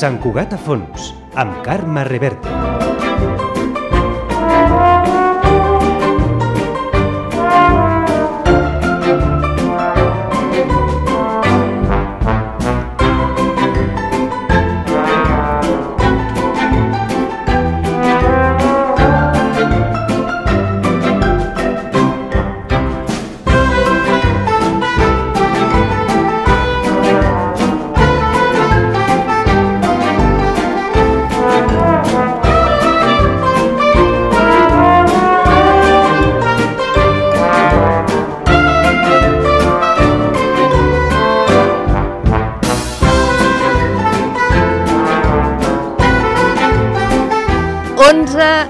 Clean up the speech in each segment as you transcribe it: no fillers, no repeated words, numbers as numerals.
Sant Cugat a fons, amb Carme Reverte.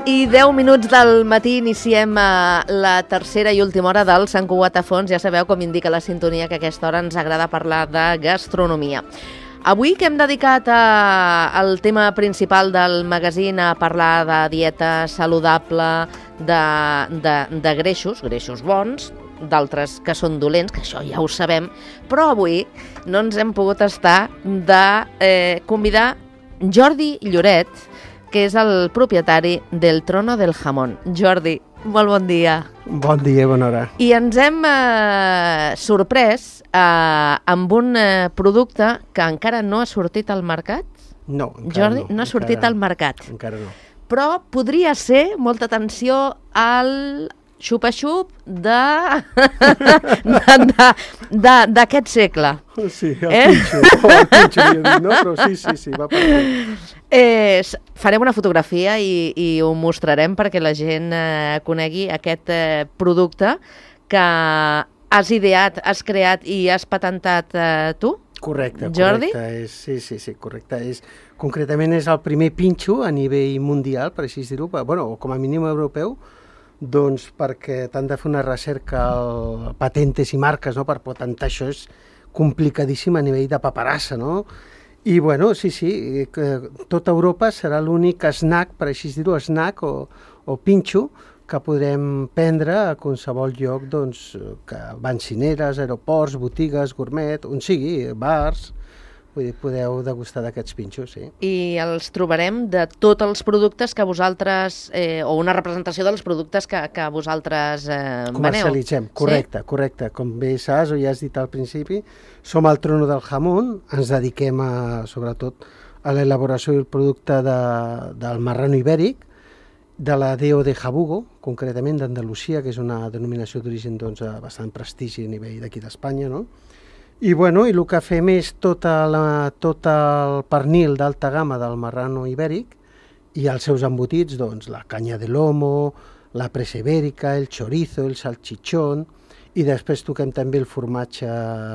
I 10 minuts del matí iniciem la tercera i última hora del Sant Cugat a fons. Ja sabeu, com indica la sintonia, que a aquesta hora ens agrada parlar de gastronomia. Avui que hem dedicat al tema principal del magazín a parlar de dieta saludable, de greixos bons, d'altres que són dolents, que això ja ho sabem, però avui no ens hem pogut estar de convidar Jordi Lloret, que és el propietari del Trono del Jamón. Jordi, molt bon dia. Bon dia, bona hora. I ens hem sorprès amb un producte que encara no ha sortit al mercat. No, encara Jordi, no ha sortit al mercat. Encara no. Però podria ser, molta atenció, al xupa-xup d'aquest segle. Sí, el pinxo, no? Però sí, va per aquí. Farem una fotografia i ho mostrarem perquè la gent conegui aquest producte que has ideat, has creat i has patentat tu. Correcte, Jordi? Sí, correcte. Concretament és el primer pinxo a nivell mundial, per així dir-ho, o com a mínim europeu, doncs perquè t'han de fer una recerca patentes i marques, no? Per patentar això és complicadíssim a nivell de paperassa, no? I sí, tota Europa serà l'únic snack, per així dir-ho, snack o pinxo que podrem prendre a qualsevol lloc, doncs, que bencineres, aeroports, botigues, gourmet, on sigui, bars. Vull dir, podeu degustar d'aquests pinxos, sí. I els trobarem de tots els productes que vosaltres, o una representació dels productes que vosaltres veneu. Comercialitzem, correcte, sí? Correcte. Com bé saps, o ja has dit al principi, som el Trono del Jamón, ens dediquem sobretot a l'elaboració del producte del marrano ibèric, de la DO de Jabugo, concretament d'Andalusia, que és una denominació d'origen de bastant prestigi a nivell d'aquí d'Espanya, no? I el que fem és tot el pernil d'alta gamma del marrano ibèric i els seus embotits, doncs la canya de lomo, la presa ibèrica, el chorizo, el salchichón, i després toquem també el formatge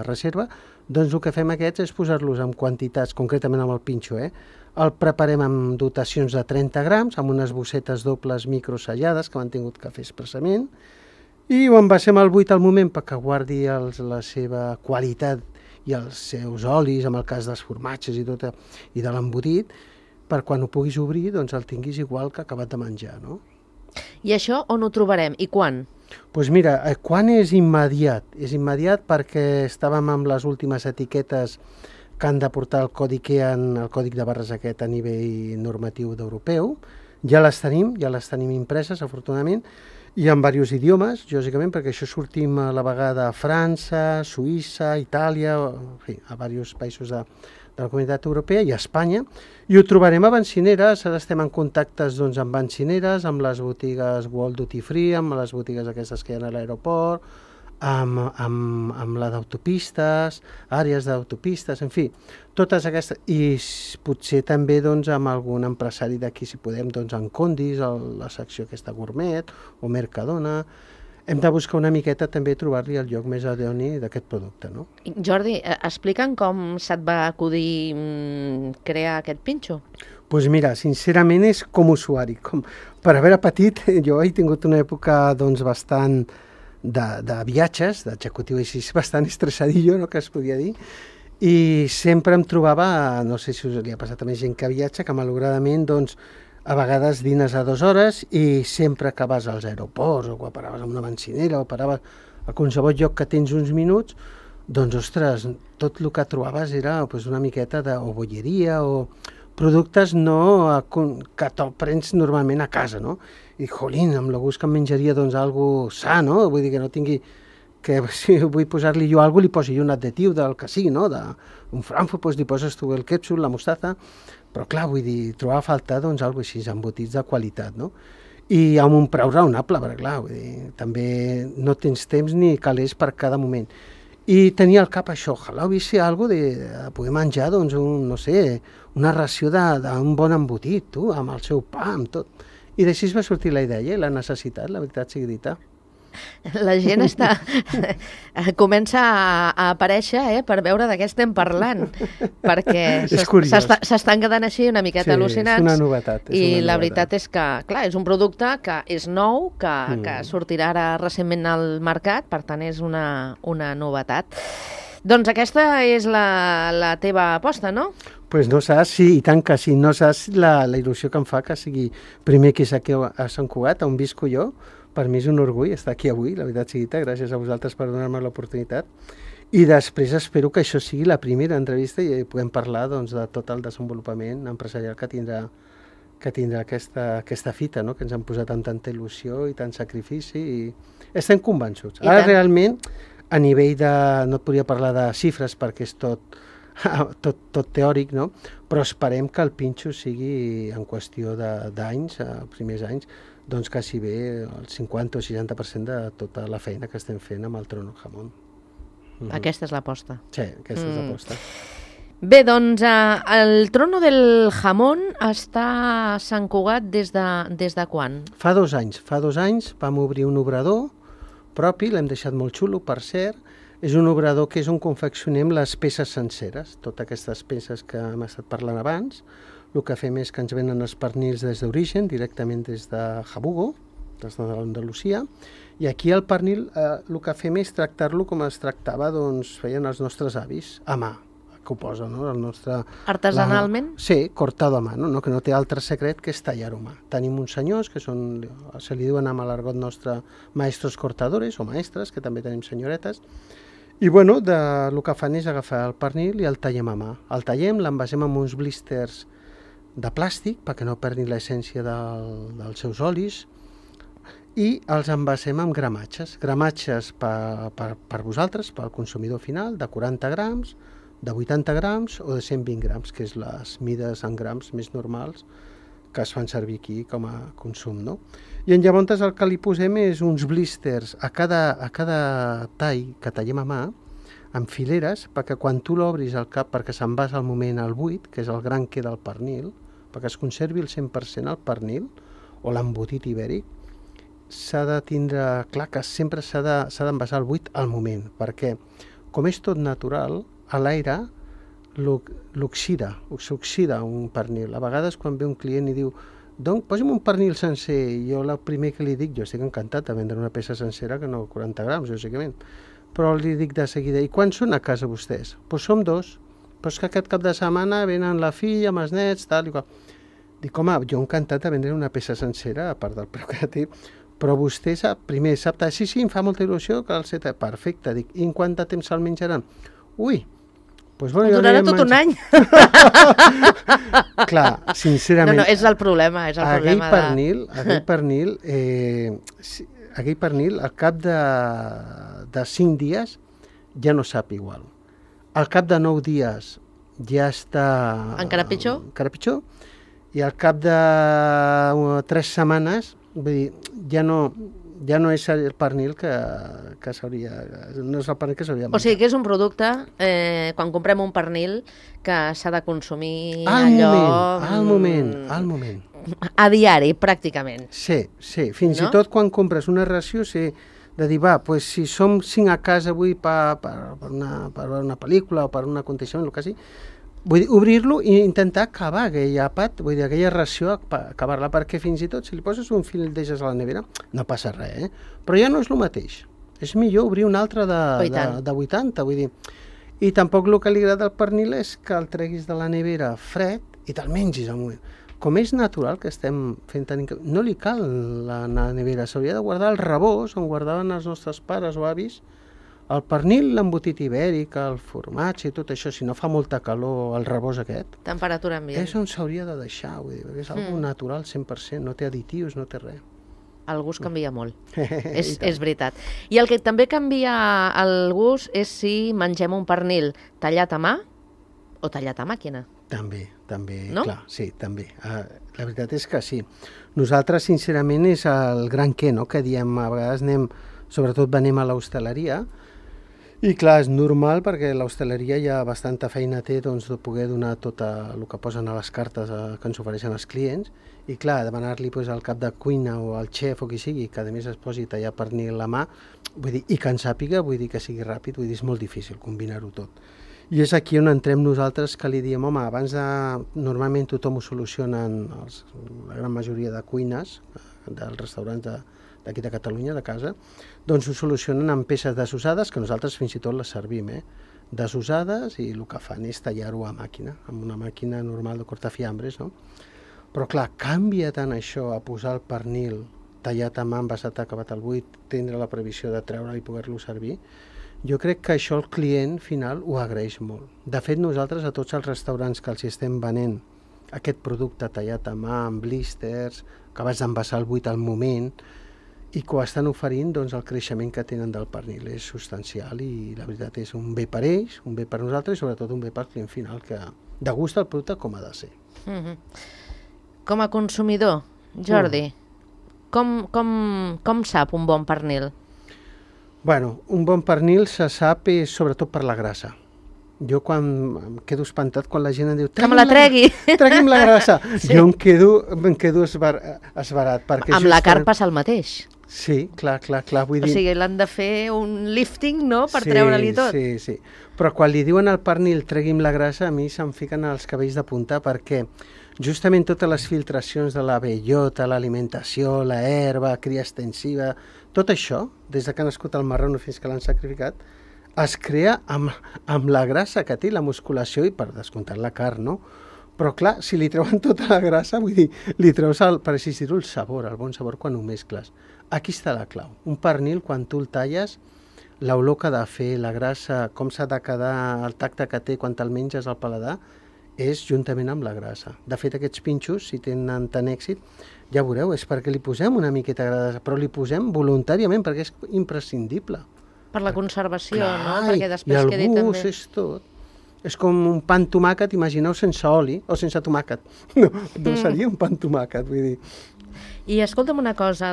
reserva. Doncs el que fem aquests és posar-los en quantitats, concretament amb el pinxo, el preparem amb dotacions de 30 grams, amb unes bossetes dobles microsellades que m'han tingut que fer expressament, i ho envasem al buit al moment perquè guardi la seva qualitat i els seus olis, en el cas dels formatges i de l'embotit, per quan ho puguis obrir doncs el tinguis igual que acabat de menjar, no? I això on ho trobarem i quan? Doncs mira, quan és immediat? És immediat perquè estàvem amb les últimes etiquetes que han de portar el còdic EAN, el còdic de barres aquest a nivell normatiu d'europeu. Ja les tenim impreses, afortunadament, i en diversos idiomes, lògicament, perquè això sortim a la vegada a França, Suïssa, Itàlia, en fi, a diversos països de la Comunitat Europea i a Espanya, i ho trobarem a bencineres. Ara estem en contactes amb bencineres, amb les botigues World Duty Free, amb les botigues aquestes que hi ha a l'aeroport, amb la d'autopistes, àrees d'autopistes, en fi, totes aquestes, i potser també amb algun empresari d'aquí, si podem, en Condis, la secció aquesta gourmet, o Mercadona. Hem de buscar una miqueta també trobar-li el lloc més idoni d'aquest producte, no? Jordi, explica'm com se't va acudir crear aquest pinxo? Doncs mira, sincerament és com usuari. Per haver petit, jo he tingut una època bastant de viatges, d'executiu així, bastant estressadillo, no?, que es podia dir, i sempre em trobava, no sé si us li ha passat a més gent que viatja, que malauradament, a vegades dines a 2 hores i sempre que vas als aeroports o que paraves en una bencinera o paraves a qualsevol lloc que tens uns minuts, doncs, ostres, tot el que trobaves era una miqueta de bolleria o productes no que te'l prens normalment a casa, no? I dic, jolín, amb el gust que em menjaria doncs algo sa, no? Vull dir que no tingui que si vull posar-li jo alguna cosa, li posi jo un additiu del que sigui, no? Un Frankfurt, doncs li poses tu el ketchup, la mostaza, però clar, vull dir, trobava a faltar doncs alguna cosa així, embotits de qualitat, no? I amb un preu raonable, perquè clar, vull dir, també no tens temps ni calés per cada moment. I tenia al cap això, ojalà hubies ser alguna cosa de poder menjar, doncs, no sé, una ració d'un bon embotit, tu, amb el seu pa, amb tot. I d'així va sortir la idea i la necessitat, la veritat sigui dita. La gent comença a aparèixer per veure de què estem parlant, perquè s'estan quedant així una miqueta al·lucinats. És una novetat. I la veritat és que, clar, és un producte que és nou, que sortirà ara recentment al mercat, per tant és una novetat. Doncs aquesta és la teva aposta, no? Doncs no saps, sí, i tant que sí, no saps la il·lusió que em fa que sigui primer que és aquí a Sant Cugat, on visco jo. Per mi és un orgull estar aquí avui, la veritat sigui dita, gràcies a vosaltres per donar-me l'oportunitat. I després espero que això sigui la primera entrevista i puguem parlar doncs, de tot el desenvolupament empresarial que tindrà aquesta fita, no? Que ens han posat amb tanta il·lusió i tant sacrifici i estem convençuts. Ara realment, a nivell de... no et podria parlar de xifres perquè és tot teòric, no? Però esperem que el pinxo sigui en qüestió d'anys, primers anys, doncs quasi bé el 50 o 60% de tota la feina que estem fent amb el Trono Jamón. Aquesta és l'aposta. Sí, aquesta és l'aposta. Bé, doncs el Trono del Jamón està a Sant Cugat des de quan? Fa 2 anys. Fa 2 anys vam obrir un obrador propi, l'hem deixat molt xulo, per cert. És un obrador que és on confeccionem les peces senceres, totes aquestes peces que hem estat parlant abans. El que fem és que ens venen els pernils des d'origen, directament des de Jabugo, des d'Andalusia, i aquí el pernil el que fem és tractar-lo com es tractava, doncs feien els nostres avis, a mà, que ho posa, no? El nostre... Artesanalment? Sí, cortado a mà, no? Que no té altre secret que és tallar-ho a mà. Tenim uns senyors que són, se li diuen amb l'argot nostre maestros cortadores o maestres, que també tenim senyoretes, i bueno, el que fan és agafar el pernil i el tallem a mà. El tallem, l'envasem amb uns blísters de plàstic perquè no perdin l'essència dels seus olis i els envasem amb gramatges. Gramatges per vosaltres, pel consumidor final, de 40 grams, de 80 grams o de 120 grams, que és les mides en grams més normals que es fan servir aquí com a consum, no? I llavors el que li posem és uns blísters a cada tall que tallem a mà, amb fileres, perquè quan tu l'obris al cap, perquè se'n vas al moment al buit, que és el gran que del pernil, perquè es conservi el 100% el pernil o l'embotit ibèric, s'ha de tindre clar que sempre s'ha d'envasar el buit al moment, perquè com és tot natural, a l'aire s'oxida un pernil. A vegades quan ve un client i diu posi'm un pernil sencer, i jo el primer que li dic, jo estic encantat de vendre una peça sencera que no 40 grams, lògicament, però li dic de seguida, i quan són a casa vostès? Doncs som 2, però és que aquest cap de setmana venen la filla amb els nets, tal i qual. Dic, home, jo encantat de vendre una peça sencera, a part del preu que té, però vostè primer sap, sí, em fa molta il·lusió que el set, perfecte, dic, i en quant de temps se'l menjaran? Ui, doncs bueno, durarà tot un any. Clar, sincerament... No, és el problema, aquell pernil, al cap de 5 dies, ja no sap igual. Al cap de 9 dies ja està... Encara pitjor? Encara pitjor. I al cap de 3 setmanes, vull dir, ja no és el pernil que s'hauria... No és el pernil que s'hauria menjar. O sigui que és un producte, quan comprem un pernil, que s'ha de consumir al moment. A diari, pràcticament. Sí, fins i tot quan compres una ració, de dir, si som 5 a casa avui per una pel·lícula o per un aconteixement, el que sigui, vull dir, obrir-lo i intentar acabar aquell àpat, vull dir, aquella ració, acabar-la, perquè fins i tot, si li poses un fil d'eixes a la nevera, no passa res, però ja no és el mateix. És millor obrir un altre de 80, vull dir. I tampoc el que li agrada al pernil és que el treguis de la nevera fred i te'l mengis al moment. Com és natural que estem fent no li cal la nevera, s'hauria de guardar al rebós on guardaven els nostres pares o avis El pernil, l'embotit ibèric, el formatge i tot això, si no fa molta calor, el rebost aquest, Temperatura ambient. és on s'hauria de deixar, vull dir, perquè és algo natural 100%, no té additius, no té res. El gust canvia molt. I tant. És veritat. I el que també canvia el gust és si mengem un pernil tallat a mà o tallat a màquina. També, No? clar, sí, també. La veritat és que sí. Nosaltres, sincerament, és el gran què, no?, que diem, a vegades sobretot venim a l'hostaleria, i clar, és normal perquè l'hostaleria ja bastanta feina té doncs, de poder donar tot el que posen a les cartes que ens ofereixen els clients, i clar, demanar-li doncs, al cap de cuina o al xef o qui sigui, que a més es posi a tallar pernil a mà, vull dir, i que en sàpiga, vull dir que sigui ràpid, vull dir, és molt difícil combinar-ho tot. I és aquí on entrem nosaltres, que li diem, home, abans de... Normalment tothom ho solucionen, la gran majoria de cuines, dels restaurants d'aquí de Catalunya, de casa, doncs ho solucionen amb peces desusades, que nosaltres fins i tot les servim, desusades, i el que fan és tallar-ho a màquina, amb una màquina normal de cortafiambres, no? Però clar, canvia tant això a posar el pernil tallat a mà, envasat acabat al buit, tindre la previsió de treure'l i poder-lo servir. Jo crec que això el client final ho agraeix molt. De fet, nosaltres a tots els restaurants que els estem venent aquest producte tallat a mà, amb blisters, acabats d'envasar el buit al moment, i que ho estan oferint, doncs el creixement que tenen del pernil és substancial i la veritat és un bé per ells, un bé per nosaltres i sobretot un bé pel client final que degusta el producte com ha de ser. Com a consumidor, Jordi, com sap un bon pernil? Bueno, un bon pernil se sap sobretot per la grassa. Jo quan em quedo espantat quan la gent em diu que me la tregui. Tregui'm la grassa. Sí. Jo em quedo esbarat. Amb la carn passa el mateix. Sí, clar. Vull dir... O sigui, l'han de fer un lifting, no?, per treure-li tot. Sí. Però quan li diuen al pernil tregui'm la grassa, a mi se'm fiquen els cabells de punta perquè justament totes les filtracions de la bellota, l'alimentació, la herba, cria extensiva, tot això, des que ha nascut el marrano fins que l'han sacrificat, es crea amb la grassa que té, la musculació i per descomptar la carn, no? Però clar, si li treuen tota la grassa, vull dir, li treus, per així dir-ho, el sabor, el bon sabor quan ho mescles. Aquí està la clau. Un pernil, quan tu el talles, l'olor que ha de fer, la grassa, com s'ha de quedar, el tacte que té quan te'l menges al paladar, és juntament amb la grassa. De fet, aquests pinxos, si tenen tant èxit, ja veureu, és perquè li posem una miqueta de grassa, però li posem voluntàriament, perquè és imprescindible. Per la conservació, clar, no? Perquè després i quedi el també... gust és tot. És com un pa amb tomàquet, imagineu sense oli o sense tomàquet. No seria un pa amb tomàquet, vull dir. I escolta'm una cosa,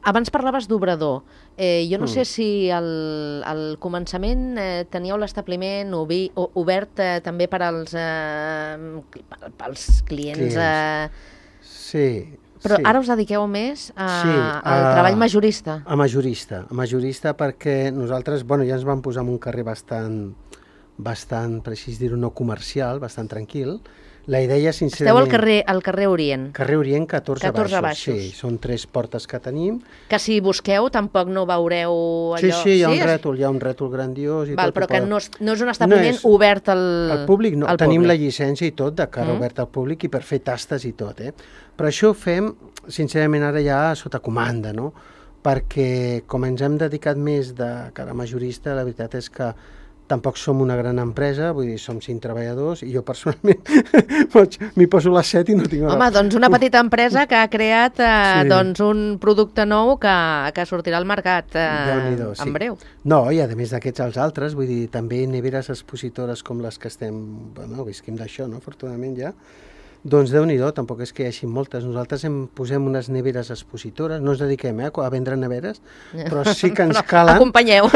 abans parlaves d'obrador. Jo no sé si al començament teníeu l'establiment obert també per als clients. Sí. Però ara us dediqueu més al treball majorista. A majorista perquè nosaltres ja ens vam posar en un carrer bastant, per així dir-ho, no comercial, bastant tranquil. La idea, sincerament... Esteu al carrer Orient. Carrer Orient, 14 baixos. Sí, són 3 portes que tenim. Que si busqueu tampoc no veureu allò... Sí, hi ha un rètol grandiós i tot. Però que no és un establiment obert al públic. No, tenim la llicència i tot, de cara obert al públic i per fer tastes i tot, Però això ho fem, sincerament, ara ja sota comanda, no? Perquè com ens hem dedicat més de cara majorista, la veritat és que tampoc som una gran empresa, vull dir, som 5 treballadors i jo personalment m'hi poso les 7 i no tinc... Home, doncs una petita empresa que ha creat un producte nou que sortirà al mercat en breu. No, i a més d'aquests els altres, vull dir, també neveres expositores com les que visquim d'això, no?, afortunadament ja. Doncs Déu-n'hi-do, tampoc és que hi hagi moltes. Nosaltres posem unes neveres expositores, no ens dediquem a vendre neveres, però sí que ens calen... Acompanyeu.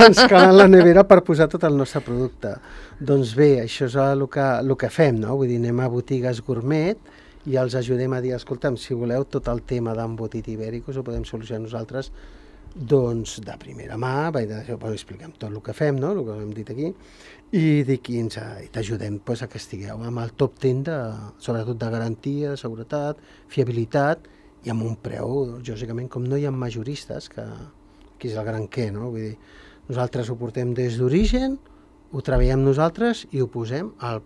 Ens calen la nevera per posar tot el nostre producte. Doncs bé, això és el que fem, no? Vull dir, anem a botigues gourmet i els ajudem a dir, escolta'm, si voleu tot el tema d'embotit ibèric us ho podem solucionar nosaltres, doncs de primera mà, expliquem tot el que fem, no?, el que hem dit aquí, i t'ajudem a que estigueu amb el top 10, sobretot de garantia, de seguretat, fiabilitat, i amb un preu, lògicament, com no hi ha majoristes, que aquí és el gran què, no? Vull dir, nosaltres ho portem des d'origen, ho treballem nosaltres i ho posem al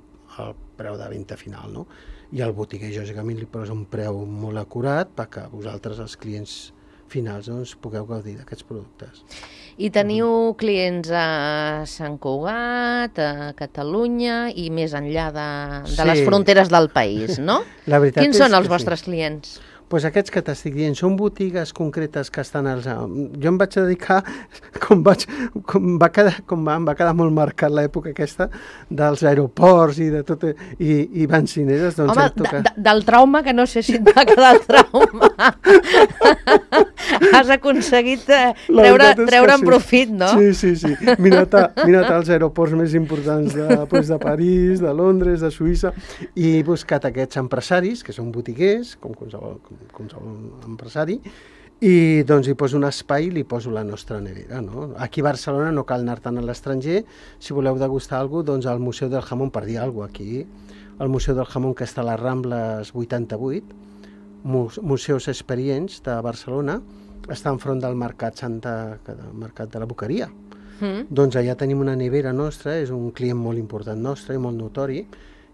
preu de venda final, no? I el botiguer, lògicament, li posa un preu molt acurat perquè vosaltres, els clients finals, doncs pugueu gaudir d'aquests productes. I teniu clients a Sant Cugat, a Catalunya i més enllà de les fronteres del país, no? Quins són els vostres clients? Doncs aquests que t'estic dient són botigues concretes que estan als... Jo em vaig dedicar, em va quedar molt marcat l'època aquesta dels aeroports i de tot, i benzineres. Doncs home, del trauma, que no sé si et va quedar el trauma. Has aconseguit treure'n profit, no? Sí. M'he anat als aeroports més importants de París, de Londres, de Suïssa, i he buscat aquests empresaris, que són botiguers, com qualsevol empresari, i doncs hi poso un espai i li poso la nostra nevera, no? Aquí a Barcelona no cal anar tant a l'estranger. Si voleu degustar alguna cosa, doncs al Museu del Jamón, per dir alguna cosa, aquí, al Museu del Jamón, que està a les Rambles 88, Museus Experients de Barcelona, està enfront del mercat de la Boqueria. Doncs allà tenim una nevera nostra, és un client molt important nostre i molt notori,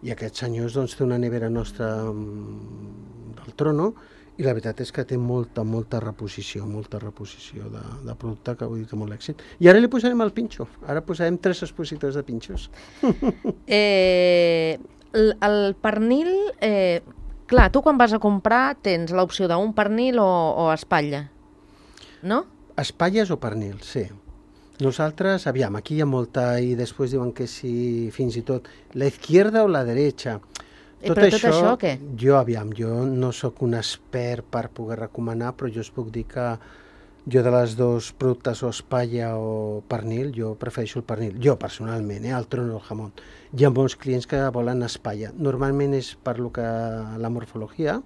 i aquests senyors doncs té una nevera nostra del Trono, i la veritat és que té molta reposició de producte, que vull dir que molt èxit. I ara li posarem el pinxo, ara posarem 3 expositors de pinxos. El pernil, clar, tu quan vas a comprar tens l'opció d'un pernil o espatlla, no? Espatlles o pernil, sí. Nosaltres, aviam, aquí hi ha molta, i després diuen que sí, fins i tot, la izquierda o la derecha. Tot això què? Jo no sóc un expert per poder recomanar, però jo us puc dir que jo de les dos productes, o espatlla o pernil, jo prefereixo el pernil. Jo, personalment, el Trono del Jamón. Hi ha molts clients que volen espatlla. Normalment és per lo que la morfologia,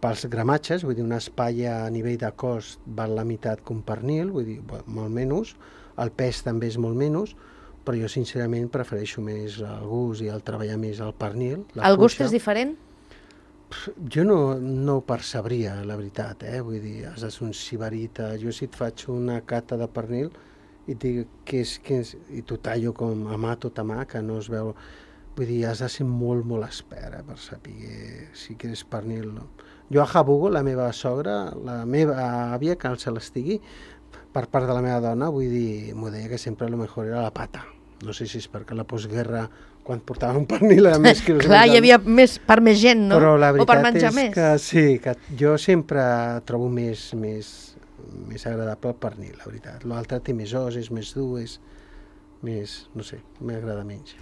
pels gramatges, vull dir, una espatlla a nivell de cost val la meitat que un pernil, vull dir, molt menys, el pes també és molt menys, però jo sincerament prefereixo més el gust i el treballar més el pernil. El gust és diferent? Jo no ho percebria, la veritat, vull dir, has de ser un sibarita. Jo si et faig una cata de pernil i et dic què és, i t'ho tallo com a mà, tot a mà, que no es veu... Vull dir, has de ser molt expert per saber si és pernil, no? Jo a Jabugo, la meva sogra, la meva àvia, que se l'estigui, per part de la meva dona, vull dir, m'ho deia que sempre el millor era la pata. No sé si és perquè la postguerra, quan portava un pernil, era més quilos. Clar, hi havia per més gent, no? Però la o per veritat menjar és més. Que sí, que jo sempre trobo més agradable el pernil, la veritat. L'altre té més os, és més dur, és més, no sé, m'agrada menys.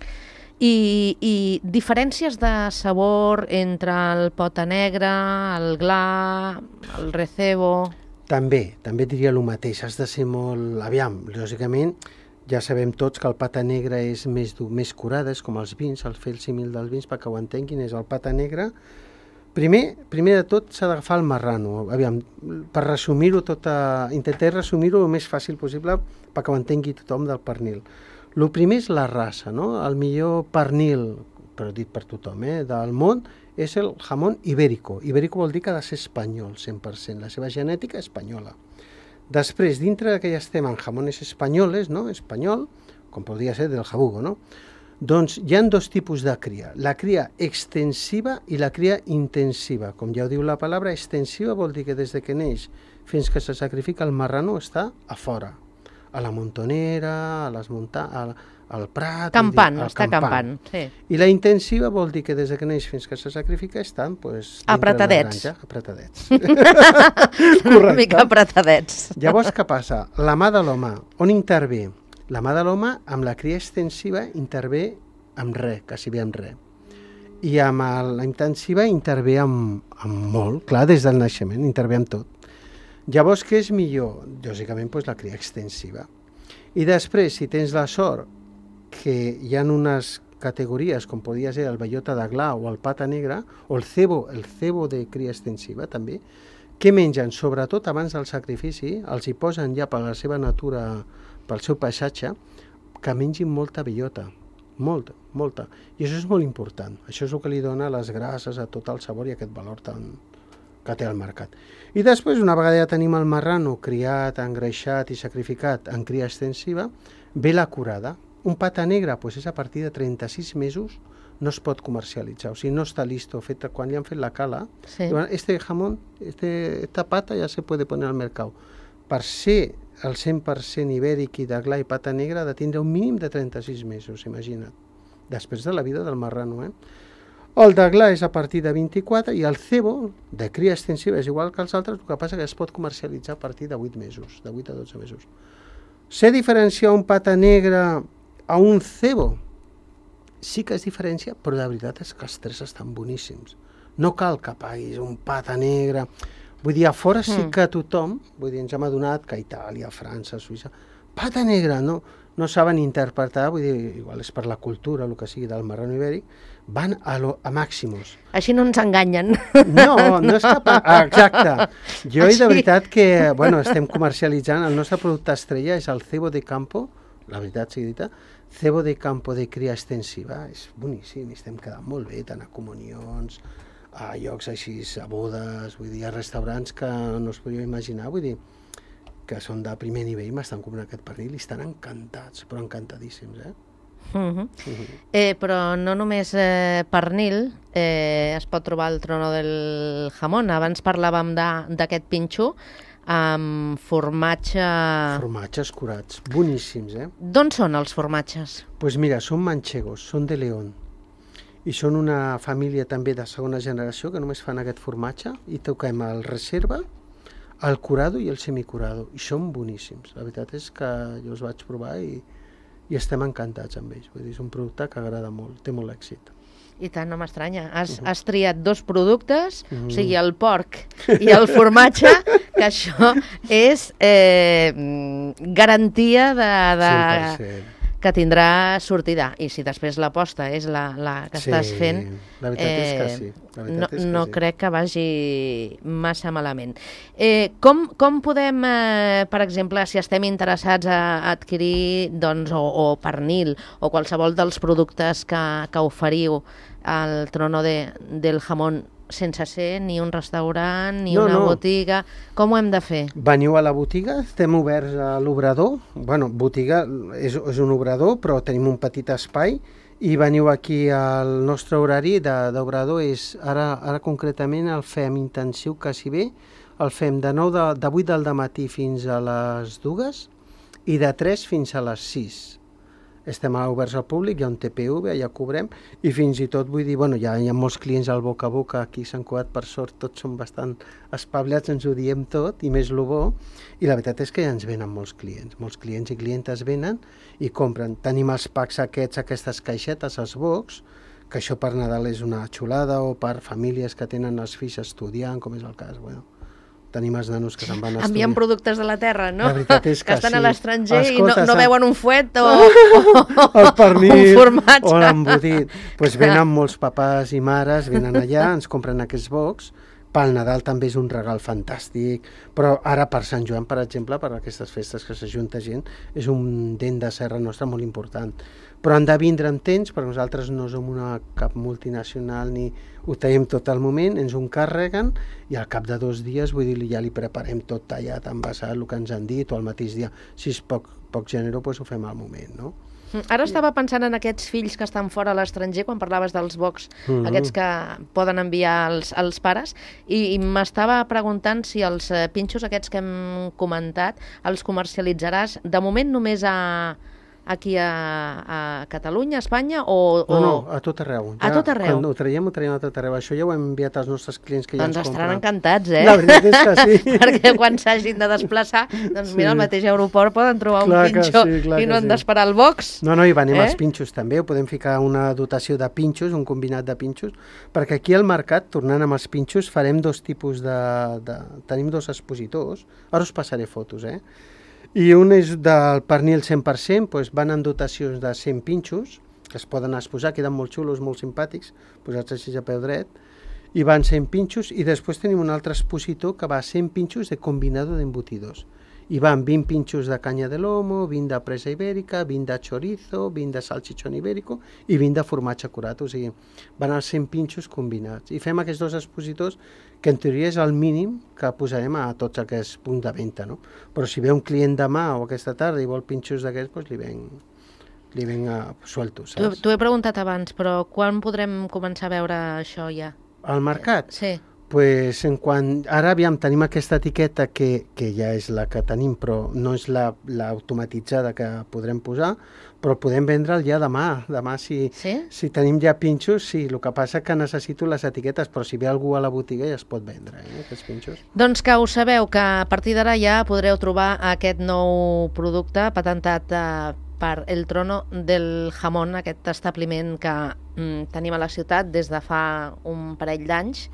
I diferències de sabor entre el pota negra, el gla, el recebo... També diria el mateix, has de ser molt... Aviam, lògicament, ja sabem tots que el pata negra és més dur, més curada, és com els vins, el fer el símil dels vins, perquè ho entenguin, és el pata negra. Primer de tot s'ha d'agafar el marrano. Aviam, per resumir-ho tot, intentaré resumir-ho el més fàcil possible perquè ho entengui tothom del pernil. El primer és la raça, no? El millor pernil, però dit per tothom, del món, és el jamón ibérico. Ibérico vol dir que ha de ser espanyol, 100%, la seva genètica espanyola. Després, dintre que ja estem en jamones espanyoles, no? Espanyol, com podria ser del Jabugo, no? Doncs hi ha 2 tipus de cria, la cria extensiva i la cria intensiva. Com ja ho diu la paraula, extensiva vol dir que des que neix fins que se sacrifica el marrano està a fora, a la montonera, a les al prat... Campant, està campant, sí. I la intensiva vol dir que des que neix fins que se sacrifica estan apretadets. Apretadets. Una mica apretadets. Llavors, què passa? La mà de l'home, on intervé? La mà de l'home, amb la cria extensiva, intervé amb res, quasi bé amb res. I amb la intensiva intervé amb molt, clar, des del naixement, intervé amb tot. Llavors, què és millor? Lògicament, la cria extensiva. I després, si tens la sort que hi ha unes categories, com podia ser el bellota de gla o el pata negra, o el cebo de cria extensiva, també, què mengen? Sobretot abans del sacrifici, els hi posen ja per la seva natura, pel seu paisatge, que mengin molta bellota, molta. I això és molt important. Això és el que li dona les grasses a tot el sabor i aquest valor tan que té al mercat. I després, una vegada ja tenim el marrano criat, engreixat i sacrificat en cria extensiva, ve la curada. Un pata negre és a partir de 36 mesos no es pot comercialitzar, o sigui, no està listo, quan li han fet la cala, Sí. diuen, jamón, esta pata ya se puede poner al mercado. Per ser el 100% ibèric i d'aglà i pata negra ha de tindre un mínim de 36 mesos, imagina't, després de la vida del marrano, El d'aglà és a partir de 24 i el cebo, de cria extensiva, és igual que els altres, el que passa que es pot comercialitzar a partir de 8 mesos, de 8 a 12 mesos. Sé diferenciar un pata negra a un cebo? Sí que es diferència, però la veritat és que els tres estan boníssims. No cal que paguis un pata negra. Vull dir, a fora sí que tothom, vull dir, ens hem adonat que Itàlia, França, Suïssa, pata negra, no saben interpretar, vull dir, igual és per la cultura, el que sigui del marrano ibèric, van a màximos. Així no ens enganyen. No és cap... Exacte. Jo, de veritat que, bueno, estem comercialitzant, el nostre producte estrella és el cebo de campo, la veritat sigui dita, cebo de campo de cria extensiva, és boníssim, estem quedant molt bé, tant a comunions, a llocs així, a bodes, vull dir, a restaurants que no us podíeu imaginar, vull dir, que són de primer nivell, m'estan comprant aquest pernil i estan encantats, però encantadíssims, Però no només pernil, es pot trobar el trono del jamón. Abans parlàvem d'aquest pinxo amb formatge... Formatges curats, boníssims, D'on són els formatges? Doncs mira, són manchegos, són de León. I són una família també de segona generació que només fan aquest formatge i toquem el reserva, el curado i el semicurado. I són boníssims. La veritat és que jo els vaig provar i estem encantats amb ells. Vull dir, és un producte que agrada molt, té molt èxit. I tant, no m'estranya. Has triat dos productes, o sigui, el porc i el formatge, que això és garantia de 100%. Que tindrà sortida. I si després l'aposta és la que estàs fent, la veritat és que sí. No crec que vagi massa malament. Com podem, per exemple, si estem interessats a adquirir o pernil o qualsevol dels productes que oferiu al Trono del Jamón, sense ser ni un restaurant ni una botiga, com ho hem de fer? Veniu a la botiga, estem oberts a l'obrador, bueno, botiga és un obrador, però tenim un petit espai, i veniu aquí al nostre horari d'obrador, ara concretament el fem intensiu quasi bé, el fem de 8 del matí fins a les 2 i de 3 fins a les 6. Estem oberts al públic, hi ha un TPV, ja cobrem, i fins i tot vull dir, bueno, hi ha molts clients al boca a boca, aquí a Sant Cugat, per sort, tots són bastant espavilats, ens ho diem tot, i més lo bo, i la veritat és que ja ens venen molts clients i clientes venen i compren. Tenim els packs aquestes caixetes, els box, que això per Nadal és una xulada, o per famílies que tenen els fills estudiant, com és el cas, bueno. Tenim els nanos que se'n van a estudiar. Envien productes de la terra, no? La veritat és que estan sí. a l'estranger i no veuen un fuet o el pernil, un formatge. o l'embotit. Doncs venen molts papàs i mares, venen allà, ens compren aquests bocs. Pel Nadal també és un regal fantàstic, però ara per Sant Joan, per exemple, per aquestes festes que s'ajunta gent, és un dent de serra nostra molt important. Però han de vindre amb temps, perquè nosaltres no som cap multinacional ni ho tenim tot al moment, ens ho encarreguen i al cap de 2 dies, vull dir, ja li preparem tot tallat, envasat, el que ens han dit, o al mateix dia. Si és poc generós, doncs ho fem al moment, no? Ara estava pensant en aquests fills que estan fora a l'estranger, quan parlaves dels bocs, aquests que poden enviar els pares, i m'estava preguntant si els pinxos aquests que hem comentat els comercialitzaràs de moment només aquí a Catalunya, a Espanya, o... No, a tot arreu. A tot arreu? Quan ho traiem a tot arreu. Això ja ho hem enviat als nostres clients que ja ens compren. Doncs estaran encantats, La veritat és que sí. Perquè quan s'hagin de desplaçar, doncs mira, al mateix aeroport poden trobar un pinxo i no han d'esperar el box. No, i venim els pinxos també, ho podem ficar una dotació de pinxos, un combinat de pinxos, perquè aquí al mercat, tornant amb els pinxos, farem 2 tipus tenim 2 expositors, ara us passaré fotos, i un és del pernil 100%, doncs van en dotacions de 100 pinxos, que es poden exposar, queden molt xulos, molt simpàtics, posats així a peu dret, i van 100 pinxos, i després tenim un altre expositor que va 100 pinxos de combinado d'embutidos. I van 20 pinxos de canya de lomo, 20 de presa ibèrica, 20 de chorizo, 20 de salchichón ibèrico i 20 de formatge curat, o sigui, van els 100 pinxos combinats. I fem aquests 2 expositors que en teoria és el mínim que posarem a tots aquests punts de venda, no? Però si ve un client demà o aquesta tarda i vol pinxos d'aquests, doncs li li venga suelto, saps? T'ho he preguntat abans, però quan podrem començar a veure això ja? Al mercat? Sí. Pues ara tenim aquesta etiqueta que ja és la que tenim, però no és l'automatitzada que podrem posar, però podem vendre'l ja demà. Demà, si tenim ja pinxos, sí. El que passa que necessito les etiquetes, però si ve algú a la botiga ja es pot vendre, aquests pinxos. Doncs que ho sabeu, que a partir d'ara ja podreu trobar aquest nou producte patentat per El Trono del Jamón, aquest establiment que tenim a la ciutat des de fa un parell d'anys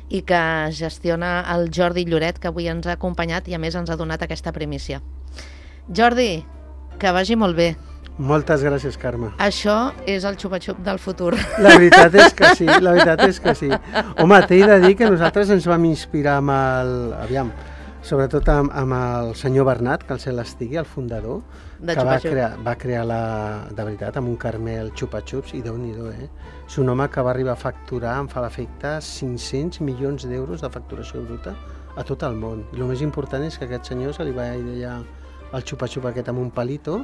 i que gestiona el Jordi Lloret, que avui ens ha acompanyat i a més ens ha donat aquesta primícia. Jordi, que vagi molt bé. Moltes gràcies, Carme. Això és el xupa-xup del futur. La veritat és que sí, la veritat és que sí. Home, t'he de dir que nosaltres ens vam inspirar amb sobretot amb el senyor Bernat, que el cel estigui, el fundador, que va crear de veritat, amb un Carmel xupa-xups, i Déu-n'hi-do, És un home que va arribar a facturar, em fa l'efecte, 500 milions d'euros de facturació bruta a tot el món. I el més important és que aquest senyor se li va idear el xupa-xup aquest amb un palito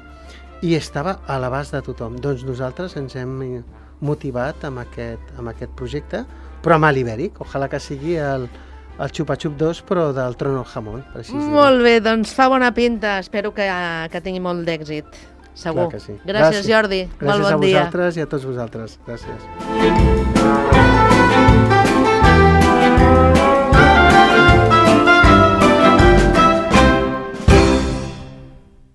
i estava a l'abast de tothom. Doncs nosaltres ens hem motivat amb aquest projecte, però amb l'ibèric. Ojalà que sigui el xupa-xup 2, però del Trono del Jamón. Molt bé, doncs fa bona pinta. Espero que tingui molt d'èxit. Segur. Clar que sí. Gràcies, Jordi. Gràcies a vosaltres i a tots vosaltres. Gràcies.